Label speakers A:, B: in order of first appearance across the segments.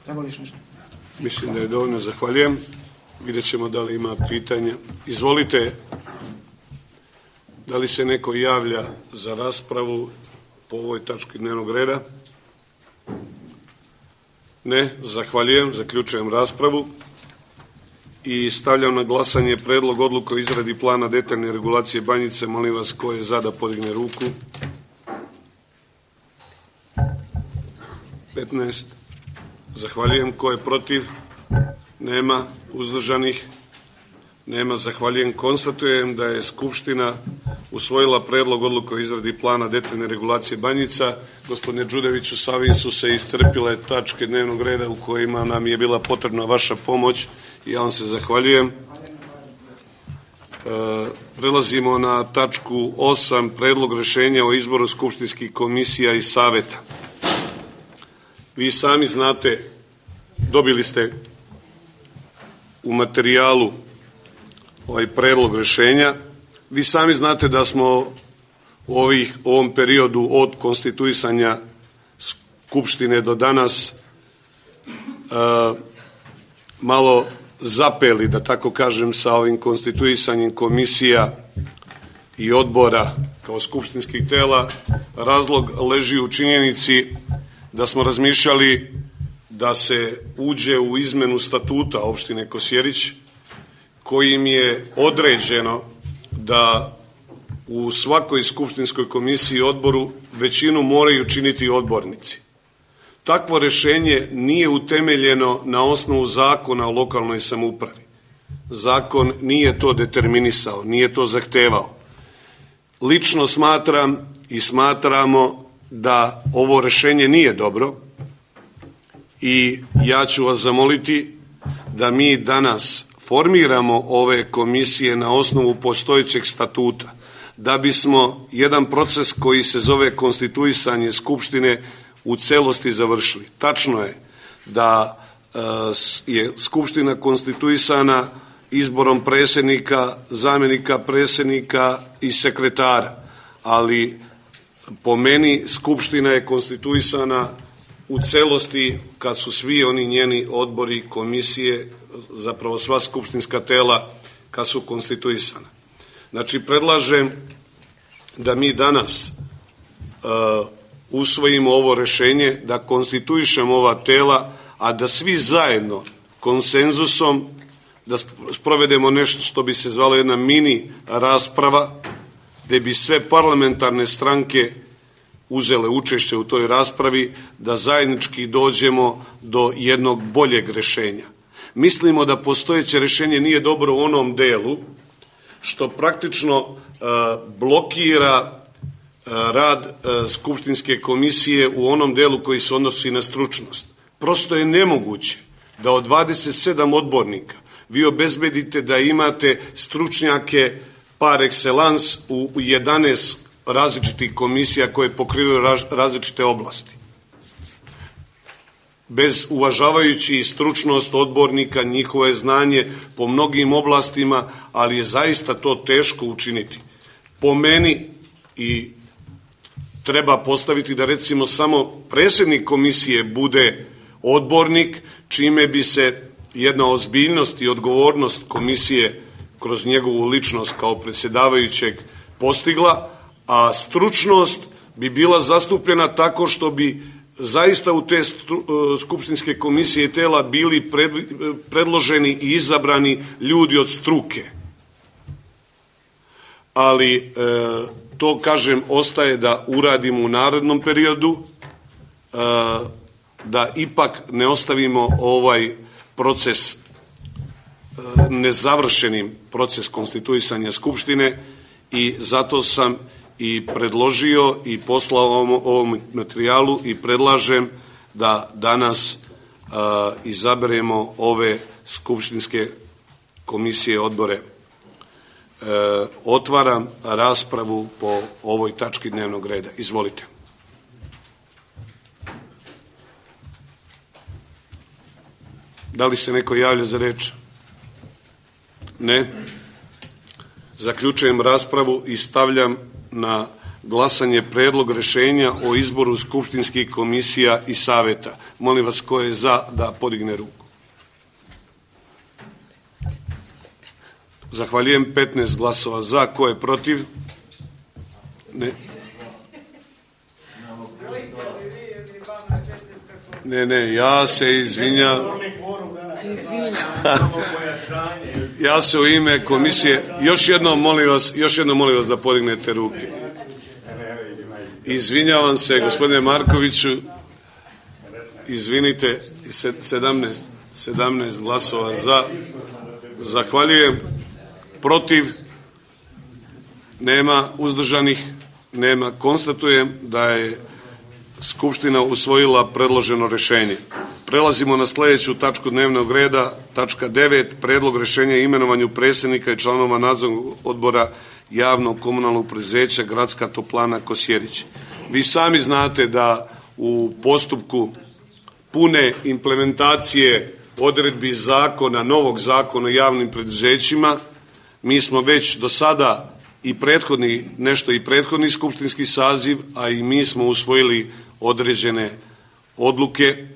A: Treba li još nešto?
B: Mislim da je dovoljno, zahvaljujem. Vidjet ćemo da li ima pitanja. Izvolite, da li se neko javlja za raspravu po ovoj tački dnevnog reda? Ne, zahvaljujem, zaključujem raspravu i stavljam na glasanje predlog odluke o izradi plana detaljne regulacije Banjice. Molim vas, ko je za da podigne ruku? 15. Zahvaljujem. Ko je protiv? Nema. Uzdržanih? Nema. Zahvaljujem. Konstatujem da je Skupština usvojila predlog odluke o izradi plana detaljne regulacije Banjica. Gospodine Đudeviću, sa ovim su se iscrpile tačke dnevnog reda u kojima nam je bila potrebna vaša pomoć i ja vam se zahvaljujem. Prelazimo na tačku 8, predlog rešenja o izboru skupštinskih komisija i saveta. Vi sami znate, dobili ste u materijalu ovaj predlog rešenja. Vi sami znate da smo u ovom periodu od konstituisanja Skupštine do danas malo zapeli, da tako kažem, sa ovim konstituisanjem komisija i odbora kao skupštinskih tela. Razlog leži u činjenici da smo razmišljali da se uđe u izmenu statuta opštine Kosjerić, kojim je određeno da u svakoj skupštinskoj komisiji i odboru većinu moraju činiti odbornici. Takvo rešenje nije utemeljeno na osnovu zakona o lokalnoj samoupravi. Zakon nije to determinisao, nije to zahtevao. Lično smatram i smatramo da ovo rešenje nije dobro i ja ću vas zamoliti da mi danas formiramo ove komisije na osnovu postojećeg statuta, da bismo jedan proces koji se zove konstituisanje Skupštine u celosti završili. Tačno je da je Skupština konstituisana izborom predsjednika, zamjenika predsjednika i sekretara, ali po meni Skupština je konstituisana u celosti kad su svi oni njeni odbori, komisije, zapravo sva skupštinska tela kad su konstituisana. Znači, predlažem da mi danas usvojimo ovo rešenje, da konstituišemo ova tela, a da svi zajedno konsenzusom da sprovedemo nešto što bi se zvalo jedna mini rasprava, gde bi sve parlamentarne stranke uzele učešće u toj raspravi, da zajednički dođemo do jednog boljeg rešenja. Mislimo da postojeće rešenje nije dobro u onom delu što praktično blokira rad skupštinske komisije u onom delu koji se odnosi na stručnost. Prosto je nemoguće da od 27 odbornika vi obezbedite da imate stručnjake par excellence u 11 različitih komisija koje pokrivaju različite oblasti. Bez uvažavajući stručnost odbornika, njihove znanje po mnogim oblastima, ali je zaista to teško učiniti. Po meni i treba postaviti da recimo samo predsjednik komisije bude odbornik, čime bi se jedna ozbiljnost i odgovornost komisije kroz njegovu ličnost kao predsjedavajućeg postigla, a stručnost bi bila zastupljena tako što bi zaista u te skupštinske komisije i tela bili predloženi i izabrani ljudi od struke. Ali to, kažem, ostaje da uradimo u narednom periodu, da ipak ne ostavimo ovaj proces nezavršenim, proces konstituisanja Skupštine, i zato sam i predložio i poslao ovom materijalu i predlažem da danas izaberemo ove skupštinske komisije, odbore. Otvaram raspravu po ovoj tački dnevnog reda. Izvolite. Da li se neko javlja za reč? Ne. Zaključujem raspravu i stavljam na glasanje predlog rješenja o izboru skupštinskih komisija i saveta. Molim vas, ko je za da podigne ruku? Zahvaljujem. 15 glasova za. Ko je protiv? Ne. Ne, ja se izvinjam. Ja se u ime komisije, još jednom molim vas da podignete ruke. Izvinjavam se, gospodine Markoviću, izvinite, 17 glasova za. Zahvaljujem. Protiv? Nema. Uzdržanih? Nema. Konstatujem da je Skupština usvojila predloženo rješenje. Prelazimo na sljedeću tačku dnevnog reda, tačka 9, predlog rješenja o imenovanju predsjednika i članova nadzornog odbora javnog komunalnog poduzeća Gradska toplana Kosjerić. Vi sami znate da u postupku pune implementacije odredbi zakona, novog zakona o javnim preduzećima, mi smo već do sada i prethodni skupštinski saziv, a i mi smo usvojili određene odluke.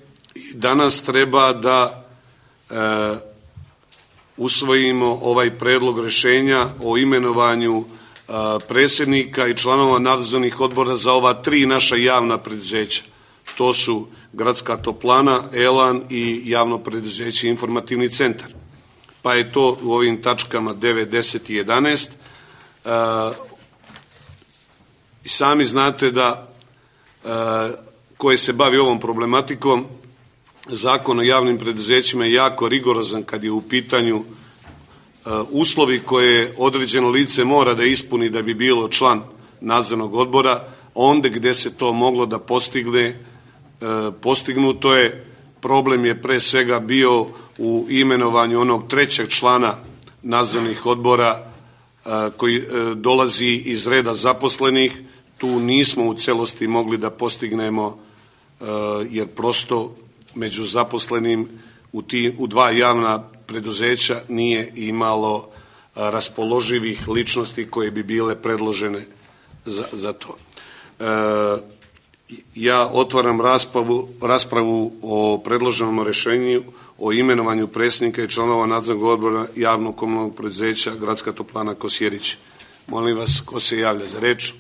B: Danas treba da usvojimo ovaj predlog rješenja o imenovanju predsjednika i članova nadzornih odbora za ova 3 naša javna preduzeća. To su Gradska toplana, Elan i javno preduzeće Informativni centar. Pa je to u ovim tačkama 9, 10 i 11. I sami znate da koje se bavi ovom problematikom, Zakon o javnim preduzećima je jako rigorozan kad je u pitanju uslovi koje određeno lice mora da ispuni da bi bilo član nadzornog odbora. Onda gdje se to moglo da postignuto je. Problem je pre svega bio u imenovanju onog 3. člana nadzornih odbora koji dolazi iz reda zaposlenih. Tu nismo u celosti mogli da postignemo jer prosto među zaposlenim u 2 javna preduzeća nije imalo raspoloživih ličnosti koje bi bile predložene za to. Ja otvaram raspravu o predloženom rješenju o imenovanju predsjednika i članova nadzornog odbora javnog komunalnog preduzeća Gradska toplana Kosjerić. Molim vas, ko se javlja za reč?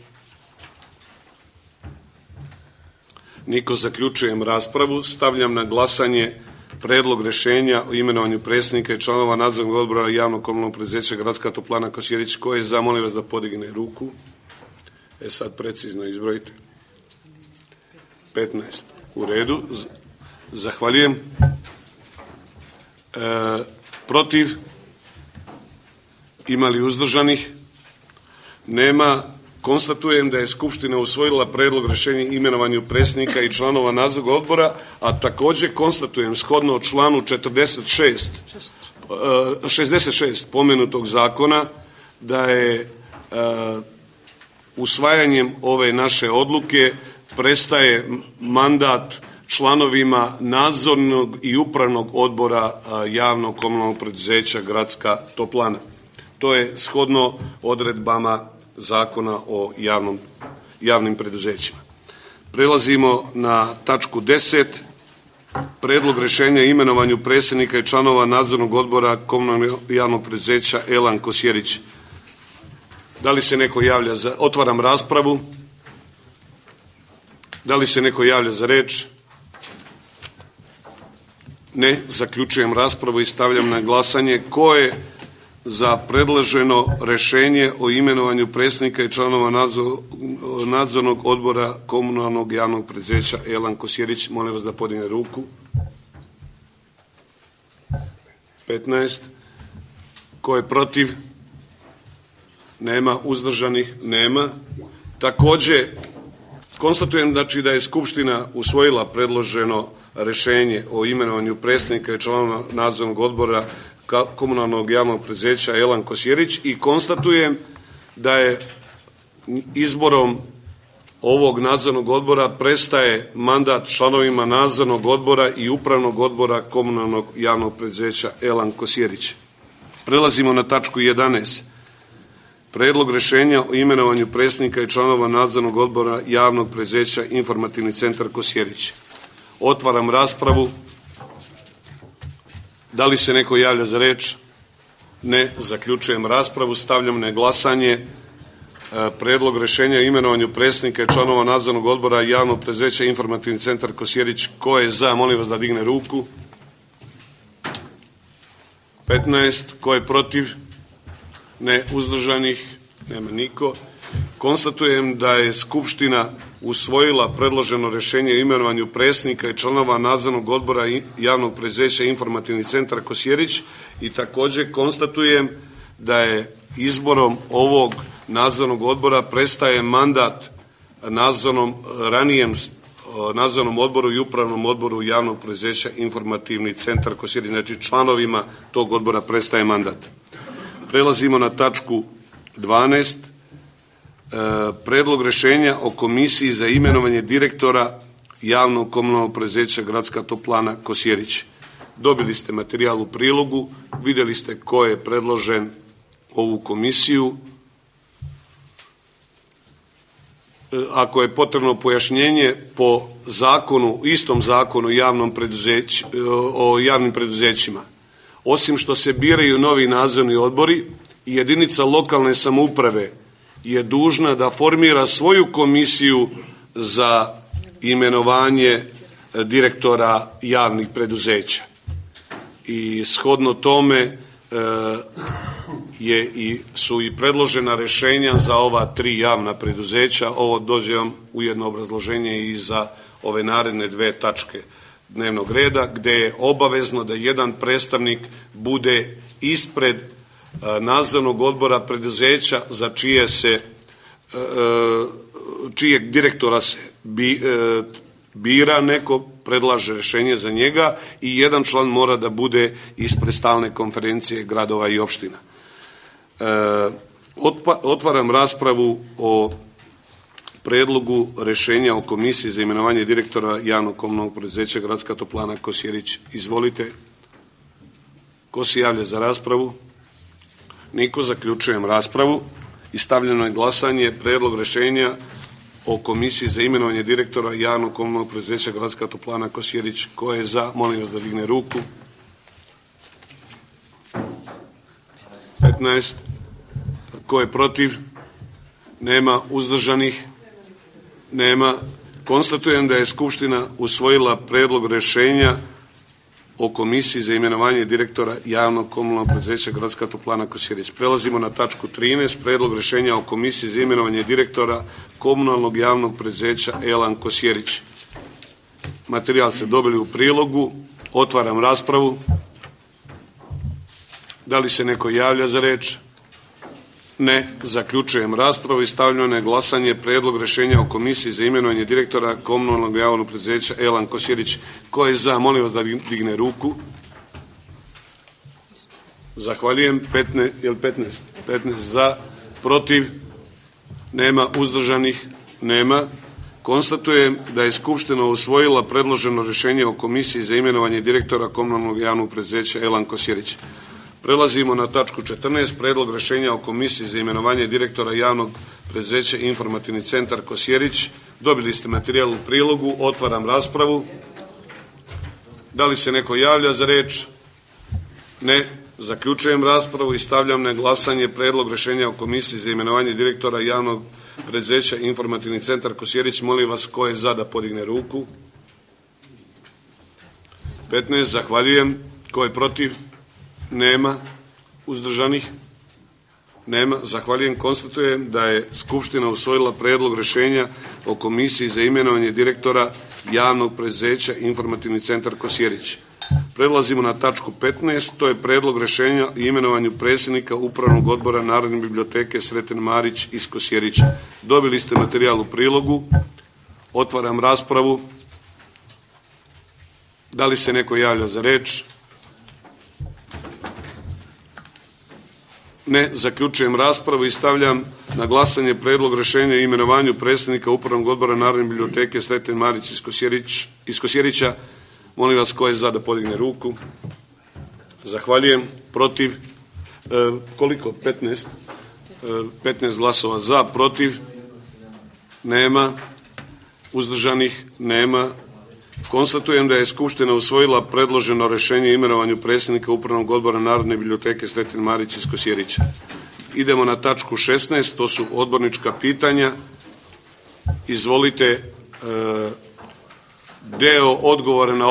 B: Niko. Zaključujem raspravu. Stavljam na glasanje predlog rješenja o imenovanju predsjednika i članova nadzornog odbora javnog komunalnog preduzeća Gradska toplana Kosjerić. Ko je za? Molim vas da podigne ruku. Sad precizno izbrojite. 15. U redu. Zahvaljujem. Protiv? Ima li uzdržanih? Nema. Konstatujem da je Skupština usvojila predlog rješenja o imenovanju predsjednika i članova nadzornog odbora, a također konstatujem shodno članu 66 pomenutog zakona da je usvajanjem ove naše odluke prestaje mandat članovima nadzornog i upravnog odbora javnog komunalnog preduzeća Gradska toplana. To je shodno odredbama Zakona o javnim preduzećima. Prelazimo na tačku 10. Predlog rješenja o imenovanju predsjednika i članova nadzornog odbora komunalnog javnog preduzeća Elan Kosjerić. Da li se neko javlja za... Otvaram raspravu. Da li se neko javlja za reč? Ne. Zaključujem raspravu i stavljam na glasanje. Ko je za predloženo rješenje o imenovanju predsjednika i članova nadzornog odbora komunalnog javnog preduzeća Elan Kosjerić? Molim vas da podigne ruku. 15. Ko je protiv? Nema. Uzdržanih? Nema. Također konstatujem da je Skupština usvojila predloženo rješenje o imenovanju predsjednika i članova nadzornog odbora komunalnog javnog preduzeća Elan Kosjerić i konstatujem da je izborom ovog nadzornog odbora prestaje mandat članovima nadzornog odbora i upravnog odbora komunalnog javnog preduzeća Elan Kosjerić. Prelazimo na tačku 11. Predlog rješenja o imenovanju predsjednika i članova nadzornog odbora javnog preduzeća Informativni centar Kosjerić. Otvaram raspravu. Da li se neko javlja za riječ? Ne. Zaključujem raspravu. Stavljam na glasanje predlog rješenja o imenovanju predsjednika i članova nadzornog odbora javnog preduzeća Informativni centar Kosjerić. Ko je za? Molim vas da digne ruku. 15. Ko je protiv? Ne. Uzdržanih? Nema niko. Konstatujem da je Skupština usvojila predloženo rješenje o imenovanju predsjednika i članova nadzornog odbora javnog preduzeća Informativni centar Kosjerić i također konstatujem da je izborom ovog nadzornog odbora prestaje mandat ranijem nadzornom odboru i upravnom odboru javnog preduzeća Informativni centar Kosjerić. Znači članovima tog odbora prestaje mandat. Prelazimo na tačku 12. Predlog rješenja o komisiji za imenovanje direktora javnog komunalnog preduzeća Gradska toplana Kosjerić. Dobili ste materijal u prilogu, vidjeli ste ko je predložen ovu komisiju. Ako je potrebno pojašnjenje po zakonu, istom zakonu o javnim preduzećima, osim što se biraju novi nadzorni odbori, jedinica lokalne samouprave je dužna da formira svoju komisiju za imenovanje direktora javnih preduzeća. I shodno tome su i predložena rješenja za ova 3 javna preduzeća. Ovo dođe vam ujedno obrazloženje i za ove naredne 2 tačke dnevnog reda, gdje je obavezno da jedan predstavnik bude ispred nadzornog odbora preduzeća za čijeg direktora se bira, neko predlaže rješenje za njega i jedan član mora da bude ispred stalne konferencije gradova i opština. Otvaram raspravu o predlogu rješenja o komisiji za imenovanje direktora javnog komunalnog preduzeća Gradska toplana Kosjerić. Izvolite. Ko se javlja za raspravu? Niko. Zaključujem raspravu i stavljeno je glasanje predlog rješenja o komisiji za imenovanje direktora javnog komunalnog preduzeća Gradska toplana Kosjerić. Ko je za? Molim vas da digne ruku. 15. Ko je protiv? Nema. Uzdržanih? Nema. Konstatujem da je Skupština usvojila predlog rješenja o komisiji za imenovanje direktora javnog komunalnog preduzeća Gradska toplana Kosjerić. Prelazimo na tačku 13. Predlog rješenja o komisiji za imenovanje direktora komunalnog javnog preduzeća Elan Kosjerić. Materijal ste dobili u prilogu. Otvaram raspravu. Da li se neko javlja za riječ? Ne. Zaključujem raspravu i stavljam na glasanje predlog rješenja o komisiji za imenovanje direktora komunalnog javnog preduzeća Elan Kosjerić. Ko je za? Molim vas da digne ruku. Zahvaljujem. 15 za, protiv? Nema. Uzdržanih? Nema. Konstatujem da je Skupština usvojila predloženo rješenje o komisiji za imenovanje direktora komunalnog javnog preduzeća Elan Kosjerić. Prelazimo na tačku 14. Predlog rješenja o komisiji za imenovanje direktora javnog preduzeća Informativni centar Kosjerić. Dobili ste materijal u prilogu. Otvaram raspravu. Da li se neko javlja za riječ? Ne. Zaključujem raspravu i stavljam na glasanje predlog rješenja o komisiji za imenovanje direktora javnog preduzeća Informativni centar Kosjerić. Molim vas ko je za da podigne ruku. 15. Zahvaljujem. Ko je protiv? Nema. Uzdržanih? Nema. Zahvaljujem. Konstatujem da je Skupština usvojila predlog rješenja o komisiji za imenovanje direktora javnog preduzeća Informativni centar Kosjerić. Prelazimo na tačku 15. To je predlog rješenja o imenovanju predsjednika Upravnog odbora Narodne biblioteke Sreten Marić iz Kosjerića. Dobili ste materijal u prilogu. Otvaram raspravu. Da li se neko javlja za riječ? Ne. Zaključujem raspravu i stavljam na glasanje predlog rješenja o imenovanju predsjednika Upravnog odbora Narodne biblioteke Sreten Marić iz Kosjerića. Molim vas ko je za da podigne ruku. Zahvaljujem. Protiv? Koliko? 15? 15 glasova za, protiv nema, uzdržanih nema. Konstatujem da je Skupština usvojila predloženo rešenje o imenovanju predsjednika Upravnog odbora Narodne biblioteke Sretin Marić iz Kosjerića. Idemo na tačku 16, to su odbornička pitanja. Izvolite, deo odgovora na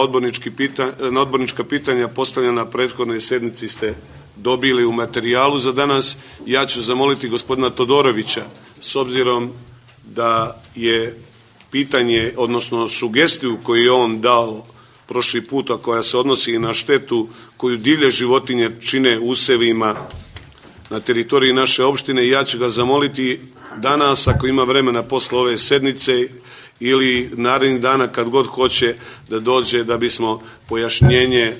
B: odbornička pitanja postavljena na prethodnoj sednici ste dobili u materijalu za danas. Ja ću zamoliti gospodina Todorovića, s obzirom da je pitanje, odnosno sugestiju koju je on dao prošli put, a koja se odnosi i na štetu koju divlje životinje čine usevima na teritoriji naše opštine, ja ću ga zamoliti danas, ako ima vremena posle ove sednice ili narednih dana kad god hoće da dođe, da bismo pojašnjenje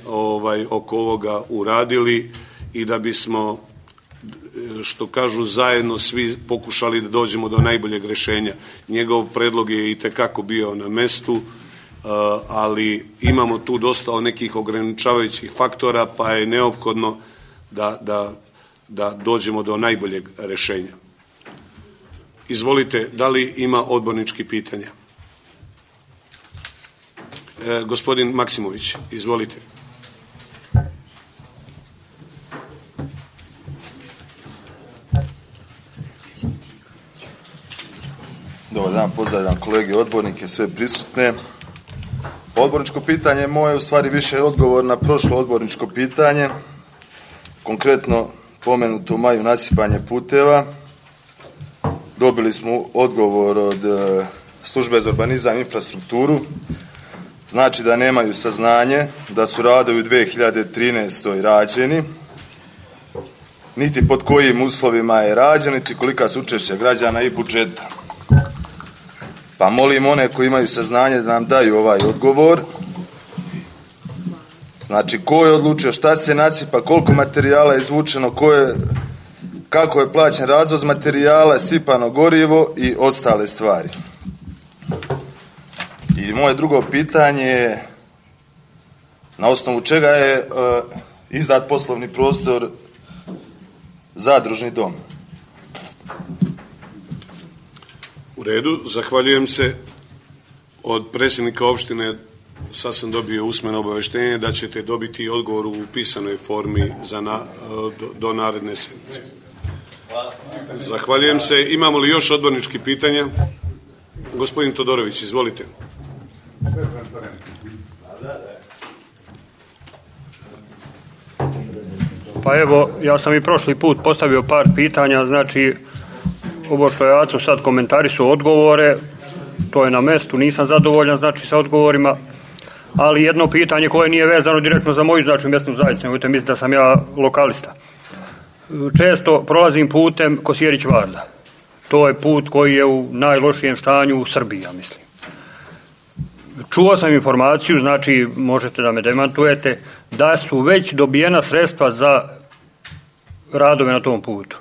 B: oko ovoga uradili i da bismo, što kažu, zajedno svi pokušali da dođemo do najboljeg rešenja. Njegov predlog je itekako bio na mestu, ali imamo tu dosta nekih ograničavajućih faktora, pa je neophodno da dođemo do najboljeg rešenja. Izvolite, da li ima odbornički pitanja? Gospodin Maksimović, izvolite.
A: Dobar dan, pozdravljam kolege odbornike, sve prisutne. Odborničko pitanje moje u stvari više odgovor na prošlo odborničko pitanje, konkretno pomenuto u maju nasipanje puteva. Dobili smo odgovor od Službe za urbanizam i infrastrukturu, znači da nemaju saznanje da su radovi u 2013. rađeni, niti pod kojim uslovima je rađen, niti kolika su učešća građana i budžeta. Pa molim one koji imaju saznanje da nam daju ovaj odgovor. Znači, ko je odlučio šta se nasipa, koliko materijala je izvučeno, kako je plaćen razvoz materijala, sipano gorivo i ostale stvari. I moje drugo pitanje je na osnovu čega je izdat poslovni prostor Zadružni dom.
B: U redu, zahvaljujem se. Od predsjednika opštine sad sam dobio usmeno obaveštenje da ćete dobiti odgovor u pisanoj formi do naredne sedmice. Zahvaljujem se. Imamo li još odborničkih pitanja? Gospodin Todorović, izvolite.
C: Pa evo, ja sam i prošli put postavio par pitanja, znači ovo što je Aco sad komentarisao odgovore, to je na mestu, nisam zadovoljan znači sa odgovorima, ali jedno pitanje koje nije vezano direktno za moju znači mjesnu zajednicu, nemojte misliti da sam ja lokalista. Često prolazim putem Kosjerić-Varda. To je put koji je u najlošijem stanju u Srbiji, ja mislim. Čuo sam informaciju, znači možete da me demantujete, da su već dobijena sredstva za radove na tom putu.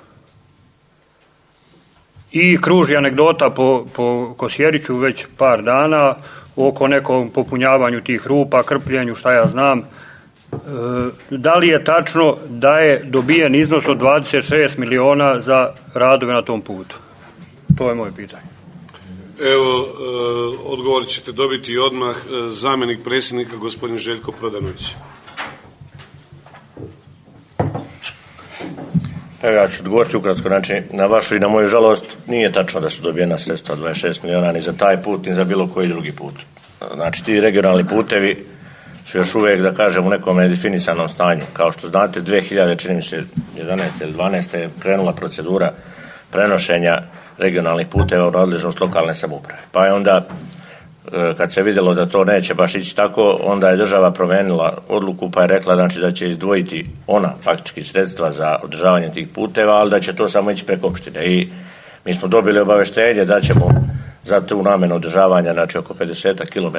C: I kruži anegdota po Kosjeriću već par dana oko nekom popunjavanju tih rupa, krpljenju, šta ja znam. Da li je tačno da je dobijen iznos od 26 miliona za radove na tom putu? To je moje pitanje.
B: Evo, odgovor ćete dobiti odmah. Zamjenik predsjednika, gospodin Željko Prodanović.
D: Evo, ja ću odgovoriti ukratko, znači na vašu i na moju žalost nije tačno da su dobijena sredstva 26 miliona ni za taj put, ni za bilo koji drugi put. Znači ti regionalni putevi su još uvijek, da kažem, u nekom nedefinisanom stanju. Kao što znate, 2000, čini mi se 11. ili 12. je krenula procedura prenošenja regionalnih puteva u nadležnost lokalne samouprave. Pa je onda, kad se vidjelo da to neće baš ići tako, onda je država promijenila odluku pa je rekla znači, da će izdvojiti ona faktički sredstva za održavanje tih puteva, ali da će to samo ići preko opštine. I mi smo dobili obaveštenje da ćemo za tu namjenu održavanja, znači oko 50 km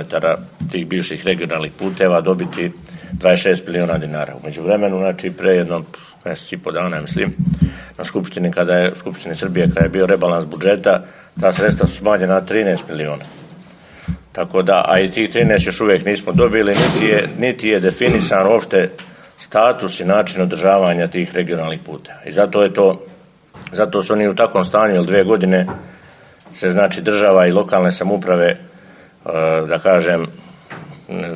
D: tih bivših regionalnih puteva dobiti 26 miliona dinara. U međuvremenu, znači pre jedno mjesec i po dana, mislim, na Skupštini Srbije, kada je bio rebalans budžeta, ta sredstva su smanjena na 13 miliona. Tako da, a i tih 13 još uvijek nismo dobili, niti je definisan uopšte status i način održavanja tih regionalnih puteva. I zato je to Zato su oni u takvom stanju, jer 2 godine se znači država i lokalne samouprave, da kažem,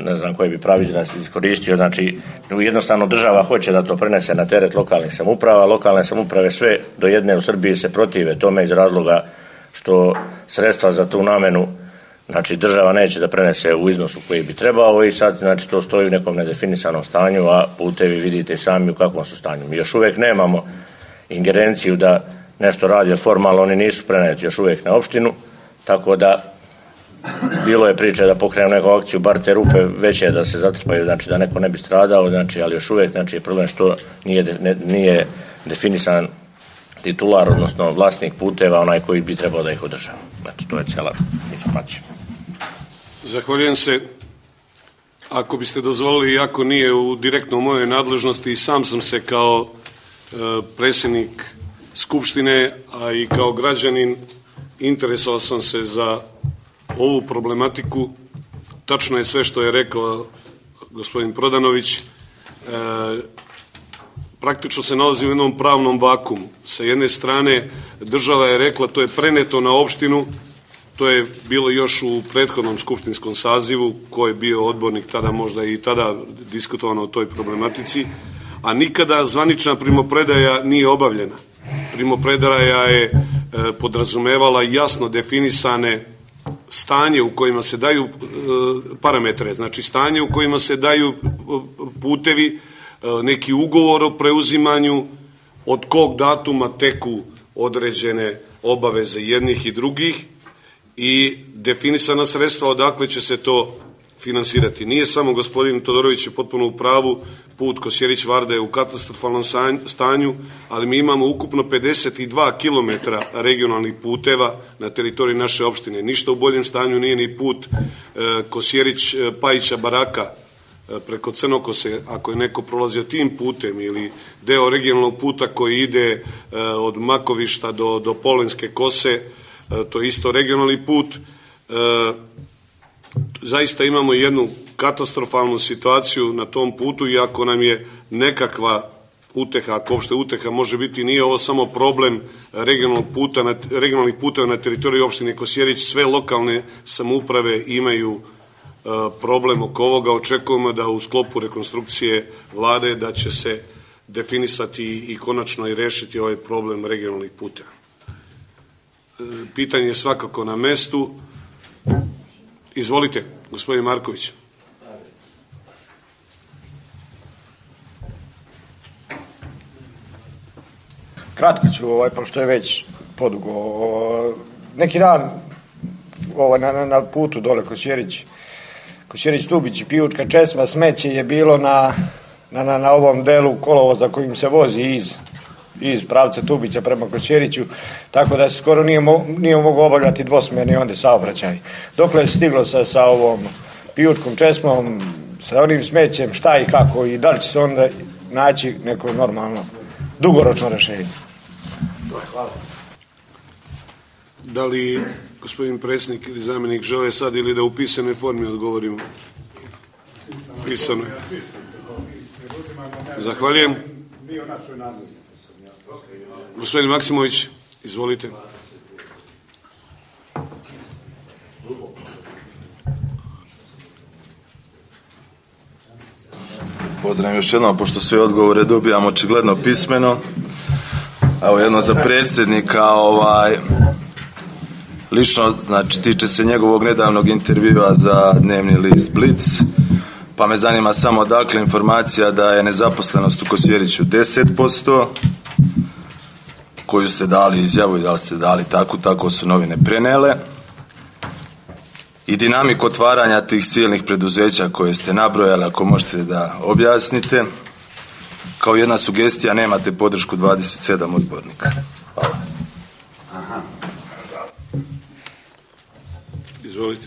D: ne znam koji bi pravi izraz iskoristio, znači jednostavno država hoće da to prenese na teret lokalnih samouprava, lokalne samouprave sve do jedne u Srbiji se protive tome iz razloga što sredstva za tu namenu, znači država neće da prenese u iznosu koji bi trebao i sad znači to stoji u nekom nedefinisanom stanju, a putevi vidite sami u kakvom su stanju. Mi još uvijek nemamo ingerenciju da nešto radi, jer formalno oni nisu preneti još uvijek na opštinu, tako da bilo je priče da pokrenemo neku akciju, bar te rupe veće da se zatrpaju, znači da neko ne bi stradao, znači, ali još uvijek znači, je problem što nije definisan titular, odnosno vlasnik puteva, onaj koji bi trebao da ih održava. Znači, to je cijela informacija.
B: Zahvaljujem se. Ako biste dozvolili, iako nije u direktno u mojoj nadležnosti, sam sam se kao predsjednik Skupštine, a i kao građanin interesovao sam se za ovu problematiku. Tačno je sve što je rekao gospodin Prodanović. Praktično se nalazi u jednom pravnom vakumu. Sa jedne strane država je rekla to je preneto na opštinu, to je bilo još u prethodnom skupštinskom sazivu, ko je bio odbornik tada, možda i tada diskutovano o toj problematici, a nikada zvanična primopredaja nije obavljena. Primopredaja je podrazumevala jasno definisane stanje u kojima se daju parametre, znači stanje u kojima se daju putevi, neki ugovor o preuzimanju, od kog datuma teku određene obaveze jednih i drugih i definisana sredstva odakle će se to finansirati. Nije samo gospodin Todorović je potpuno u pravu, put Kosjerić-Varda je u katastrofalnom stanju, ali mi imamo ukupno 52 km regionalnih puteva na teritoriji naše opštine. Ništa u boljem stanju nije ni put Kosjerić-Pajića-Baraka preko Crnokose, ako je neko prolazio tim putem, ili deo regionalnog puta koji ide od Makovišta do Polenske Kose, to je isto regionalni put. Zaista imamo jednu katastrofalnu situaciju na tom putu, iako nam je nekakva uteha, ako uopšte uteha može biti, nije ovo samo problem regionalnih puteva na teritoriji opštine Kosjerić, sve lokalne samouprave imaju problem oko ovoga. Očekujemo da u sklopu rekonstrukcije vlade da će se definisati i konačno i rešiti ovaj problem regionalnih puteva. Pitanje je svakako na mestu. Izvolite, gospodin Marković.
E: Kratko ću, pošto je već podugo. Neki dan na putu dole Kosjerić-Tubić i Pijučka Česma, smeće je bilo na ovom delu kolovoza kojim se vozi iz pravca Tubića prema Kosjeriću, tako da se skoro nije mogao obavljati dvosmjerni onda saobraćaj. Dokle je stiglo sa ovom Pijučkom Česmom, sa onim smećem, šta i kako i da li će se onda naći neko normalno dugoročno rešenje. Hvala.
B: Da li gospodin predsjednik ili zamjenik žele sad ili da u pisanoj formi odgovorimo? Pisano je. Zahvaljujem. Gospodin Maksimović, izvolite.
A: Pozdravim još jednom, pošto sve odgovore dobijamo očigledno pismeno. Evo jedno za predsjednika, lično, znači tiče se njegovog nedavnog intervjua za dnevni list Blic, pa me zanima samo dakle informacija da je nezaposlenost u Kosjeriću 10%, koju ste dali izjavu i da li ste dali tako su novine prenele, i dinamiku otvaranja tih silnih preduzeća koje ste nabrojali, ako možete da objasnite. Kao jedna sugestija, nemate podršku 27 odbornika. Hvala.
B: Izvolite,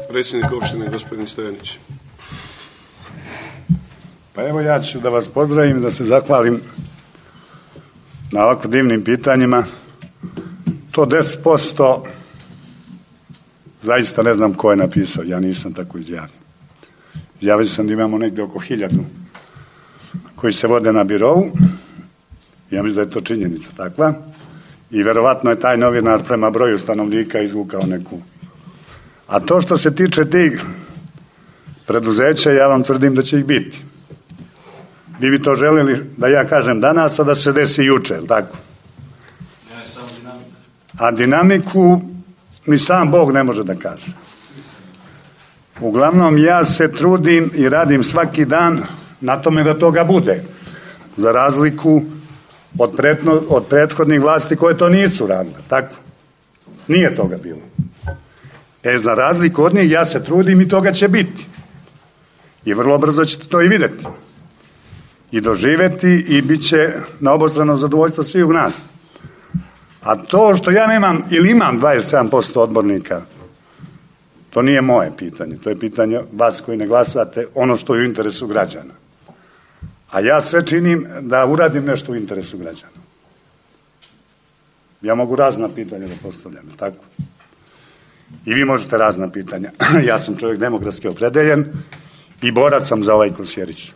B: predsjednik opštine gospodin Stojanić.
F: Pa evo, ja ću da vas pozdravim, da se zahvalim na ovako divnim pitanjima. To 10% zaista ne znam ko je napisao, ja nisam tako izjavio. Izjavio sam da imamo negde oko 1000 koji se vode na birovu. Ja mislim da je to činjenica takva. i verovatno je taj novinar prema broju stanovnika izvukao neku. A to što se tiče tih preduzeća, ja vam tvrdim da će ih biti. Vi bi to željeli da ja kažem danas, a da se desi juče, jel tako? A dinamiku ni sam Bog ne može da kaže. Uglavnom, ja se trudim i radim svaki dan na tome da toga bude. Za razliku od prethodnih vlasti koje to nisu radile, tako? Nije toga bilo. Za razliku od njih ja se trudim i toga će biti. I vrlo brzo ćete to i vidjeti. I doživjeti i bit će na obostrano zadovoljstvo svih u nas. A to što ja nemam ili imam 27% odbornika, to nije moje pitanje. To je pitanje vas koji ne glasate, ono što je u interesu građana. A ja sve činim da uradim nešto u interesu građana. Ja mogu razna pitanja da postavljam, tako? I vi možete razna pitanja. Ja sam čovjek demokratski opredeljen i borac sam za ovaj Kosjerić.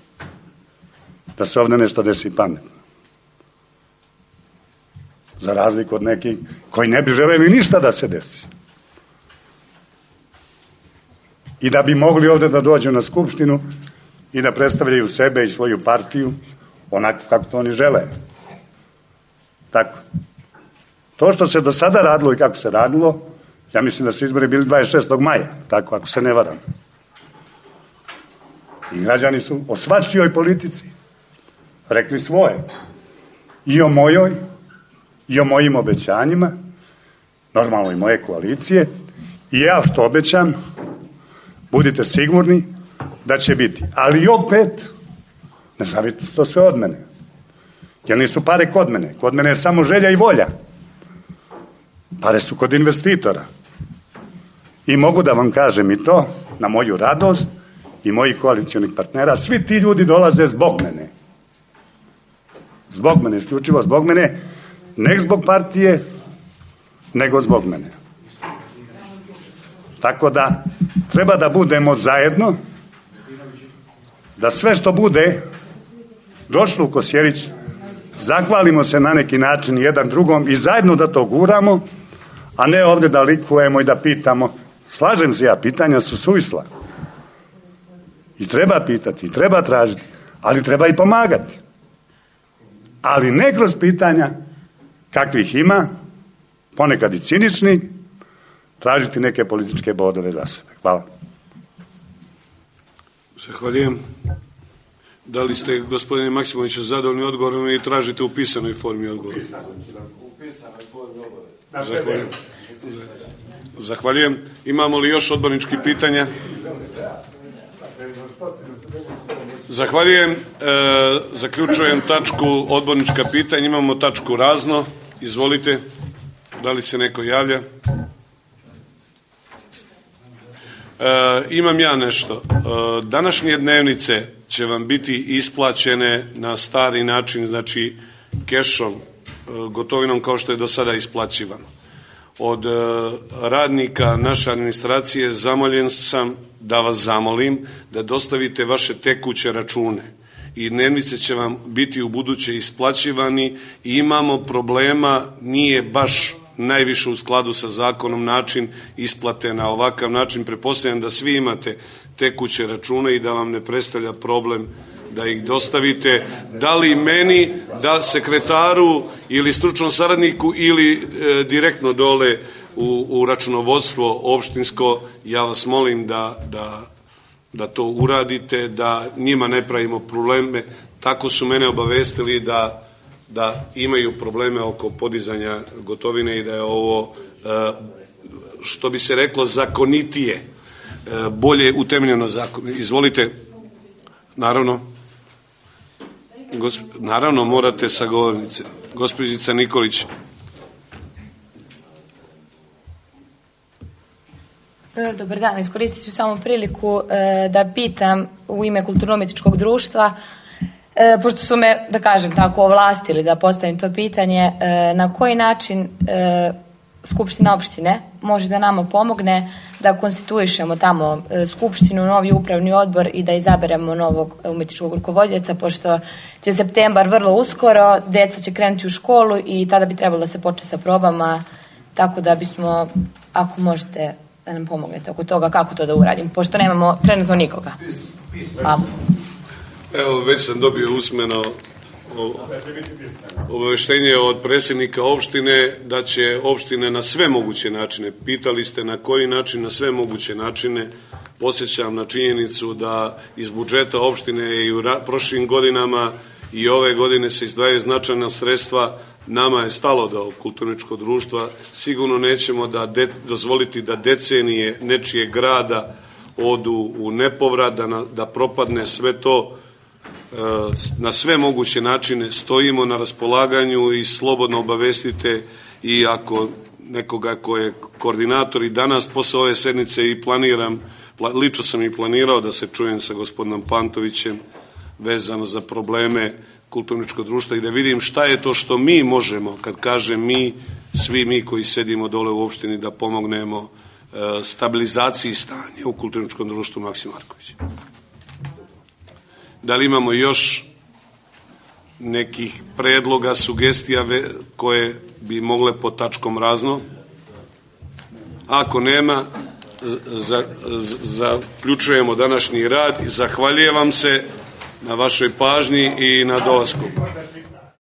F: Da se ovdje nešto desi pametno. Za razliku od nekih koji ne bi želeli ništa da se desi. I da bi mogli ovdje da dođu na skupštinu i da predstavljaju sebe i svoju partiju onako kako to oni žele. Tako. To što se do sada radilo i kako se radilo, ja mislim da su izbori bili 26. maja, tako ako se ne varam. I građani su o svačijoj politici rekli svoje. I o mojoj, i o mojim obećanjima, normalno i moje koalicije. I ja što obećam, budite sigurni da će biti. Ali opet, ne zavite to sve od mene. Jer nisu pare kod mene. Kod mene je samo želja i volja. Pare su kod investitora. I mogu da vam kažem i to, na moju radost i mojih koalicionih partnera, svi ti ljudi dolaze zbog mene. Zbog mene, isključivo zbog mene, ne zbog partije, nego zbog mene. Tako da treba da budemo zajedno, da sve što bude došlo u Kosjerić, zahvalimo se na neki način jedan drugom i zajedno da to guramo, a ne ovdje da likujemo i da pitamo. Slažem se ja, pitanja su suvisla. I treba pitati, i treba tražiti, ali treba i pomagati. Ali ne kroz pitanja kakvih ima, ponekad i cinični, tražiti neke političke bodove za sebe. Hvala.
B: Zahvaljujem. Da li ste, gospodine Maksimoviću, zadovoljni odgovorom i tražite u pisanoj formi odgovor?
A: U pisanoj formi obavez.
B: Zahvaljujem. Imamo li još odborničkih pitanja? Zahvaljujem. Zaključujem tačku odbornička pitanja. Imamo tačku razno. Izvolite. Da li se neko javlja? Imam ja nešto. Današnje dnevnice će vam biti isplaćene na stari način, znači kešom, gotovinom kao što je do sada isplaćivano. Od radnika naše administracije zamoljen sam da vas zamolim da dostavite vaše tekuće račune i dnevnice će vam biti u buduće isplaćivani i imamo problema, nije baš najviše u skladu sa zakonom način isplate na ovakav način. Pretpostavljam da svi imate tekuće račune i da vam ne predstavlja problem da ih dostavite, da li meni, da sekretaru ili stručnom saradniku ili direktno dole u računovodstvo opštinsko. Ja vas molim da to uradite, da njima ne pravimo probleme. Tako su mene obavestili da imaju probleme oko podizanja gotovine i da je ovo, što bi se reklo, zakonitije, bolje utemeljeno zakon. Izvolite. Naravno morate sa govornice. Gospođica Nikolić.
G: Dobar dan, iskoristit ću samo priliku da pitam u ime Kulturno-umjetničkog društva, pošto su me, da kažem tako, ovlastili da postavim to pitanje, na koji način Skupština opštine može da nama pomogne da konstituišemo tamo skupštinu, novi upravni odbor i da izaberemo novog umetničkog rukovodioca, pošto će septembar vrlo uskoro, deca će krenuti u školu i tada bi trebalo da se počne sa probama, tako da bismo, ako možete da nam pomognete oko toga kako to da uradim, pošto nemamo trenutno nikoga. Hvala.
B: Evo, već sam dobio usmeno obaveštenje od predsjednika opštine da će opštine na sve moguće načine, pitali ste na koji način, na sve moguće načine, podsjećam na činjenicu da iz budžeta opštine i u prošlim godinama i ove godine se izdvajaju značajna sredstva. Nama je stalo da kulturničko društva sigurno nećemo dozvoliti da decenije nečijeg grada odu u nepovrat, da propadne sve to. Na sve moguće načine stojimo na raspolaganju i slobodno obavestite i ako nekoga ko je koordinator i danas posle ove sednice i lično sam i planirao da se čujem sa gospodinom Pantovićem vezano za probleme kulturničkog društva i da vidim šta je to što mi možemo, kad kažem mi, svi mi koji sedimo dole u opštini, da pomognemo stabilizaciji stanja u kulturničkom društvu Maksim Marković. Da li imamo još nekih predloga, sugestija koje bi mogle po tačkom razno? Ako nema, zaključujemo današnji rad i zahvaljujem vam se na vašoj pažnji i na dolasku.